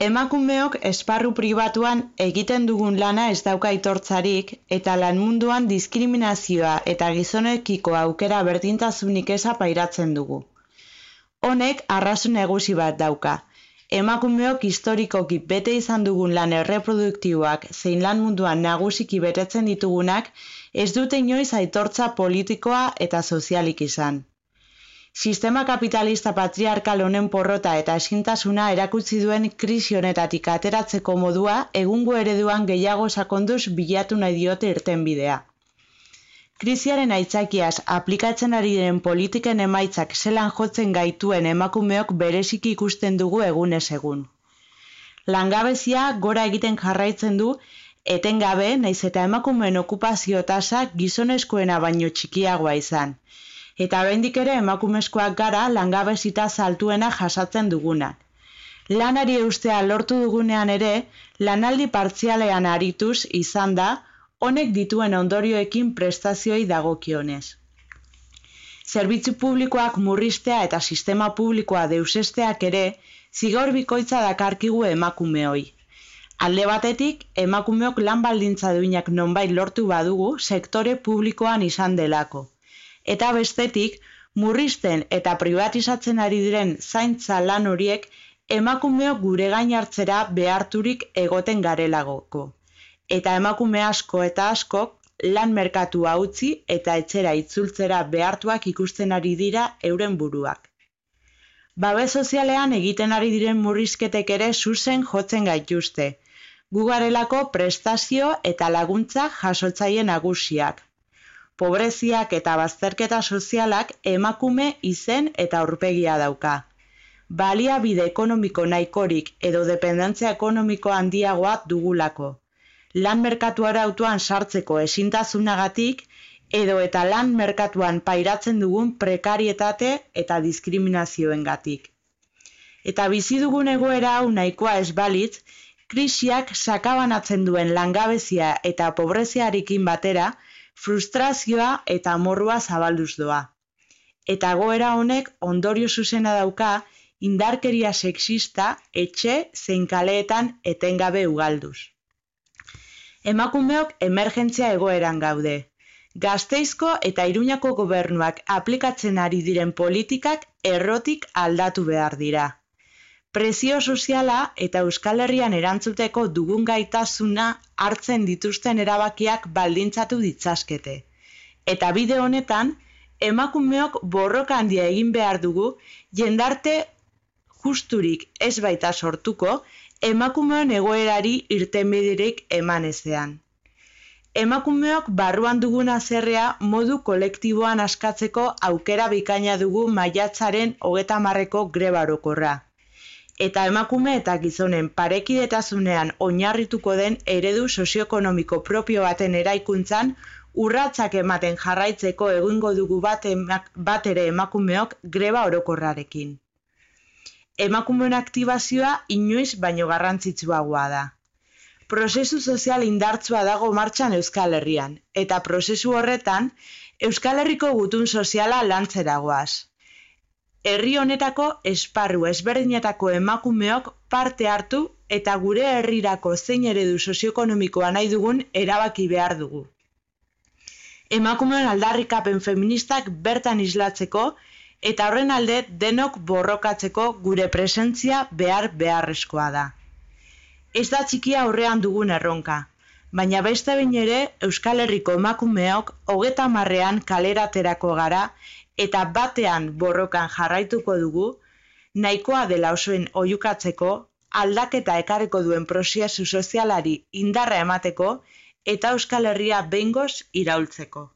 Emakumeok esparru pribatuan egiten dugun lana ez dauka aitortzarik eta lan munduan diskriminazioa eta gizonekiko aukera berdintasunik eza pairatzen dugu. Honek arrazoi nagusi bat dauka. Emakumeok historikoki bete izan dugun lan erreproduktiboak zein lan munduan nagusiki betetzen ditugunak ez dute inoiz aitortza politikoa eta sozialik izan. Sistema kapitalista patriarkal honen porrota eta ezintasuna erakutsi duen krisi honetatik ateratzeko modua egungo ereduan gehiago sakonduz bilatu nahi diote irtenbidea. Krisiaren aitzakiaz aplikatzen ari diren politiken emaitzak zelan jotzen gaituen emakumeok bereziki ikusten dugu egunez egun. Langabezia gora egiten jarraitzen du etengabe naiz eta emakumeen okupazio tasa gizonezkoena baino txikiagoa izan. Eta oraindik ere emakumezkoak gara langabezi tasa altuena jasatzen dugunak. Lanari eustea lortu dugunean ere, lanaldi partzialean arituz izan da, honek dituen ondorioekin prestazioei dagokionez. Zerbitzu publikoak murriztea eta sistema publikoa deusesteak ere, zigor bikoitza dakarkigu emakumeoi. Alde batetik, emakumeok lan baldintza duinak nonbait lortu badugu sektore publikoan izan delako. Eta bestetik, murrizten eta privatizatzen ari diren zaintza lan horiek emakumeok gure gain hartzera beharturik egoten garelagoko. Eta emakume asko eta askok lan merkatua utzi eta etxera itzultzera behartuak ikusten ari dira euren buruak. Babes sozialean egiten ari diren murrizketek ere zuzen jotzen gaituzte. Gu garelako prestazio eta laguntza jasotzaile nagusiak. Pobreziak eta bazterketa sozialak emakume izen eta aurpegia dauka. Baliabide ekonomiko nahikorik edo dependentzia ekonomiko handiagoa dugulako. Lan merkatu arautuan sartzeko ezintasunagatik edo eta lan merkatuan pairatzen dugun prekarietate eta diskriminazioengatik. Eta bizi dugun egoera hau nahikoa ez balitz, krisiak sakabanatzen duen langabezia eta pobreziarekin batera, frustrazioa eta amorrua zabalduz doa. Eta egoera honek ondorio zuzena dauka indarkeria sexista etxe zein kaleetan etengabe ugalduz. Emakumeok emergentzia egoeran gaude. Gasteizko eta Iruñako gobernuak aplikatzen ari diren politikak errotik aldatu behar dira. Presio soziala eta Euskal Herrian erantzuteko dugun gaitasuna hartzen dituzten erabakiak baldintzatu ditzazkete. Eta bide honetan, emakumeok borroka handia egin behar dugu, jendarte justurik ez baita sortuko, emakumeon egoerari irtenbiderik eman ezean. Emakumeok barruan dugun haserrea modu kolektiboan askatzeko aukera bikaina dugu maiatzaren 30ko greba orokorra. Eta emakume eta gizonen parekidetasunean oinarrituko den eredu sozioekonomiko propio baten eraikuntzan urratsak ematen jarraitzeko egingo dugu bat ere emakumeok greba orokorrarekin. Emakumeen aktibazioa inoiz baino garrantzitsuagoa da. Prozesu sozial indartsua dago martxan Euskal Herrian, eta prozesu horretan Euskal Herriko gutun soziala lantzera goaz. Herri honetako esparru ezberdinetako emakumeok parte hartu eta gure herrirako zein eredu sozioekonomikoa nahi dugun erabaki behar dugu. Emakumeen aldarrikapen feministak bertan islatzeko eta horren alde denok borrokatzeko gure presentzia beharrezkoa da. Ez da txikia aurrean dugun erronka, baina beste behin ere Euskal Herriko emakumeok 30ean kaleraterako gara eta batean borrokan jarraituko dugu, nahikoa dela osoen oihukatzeko, aldaketa ekarriko duen prozesu sozialari indarra emateko eta Euskal Herria behingoz iraultzeko.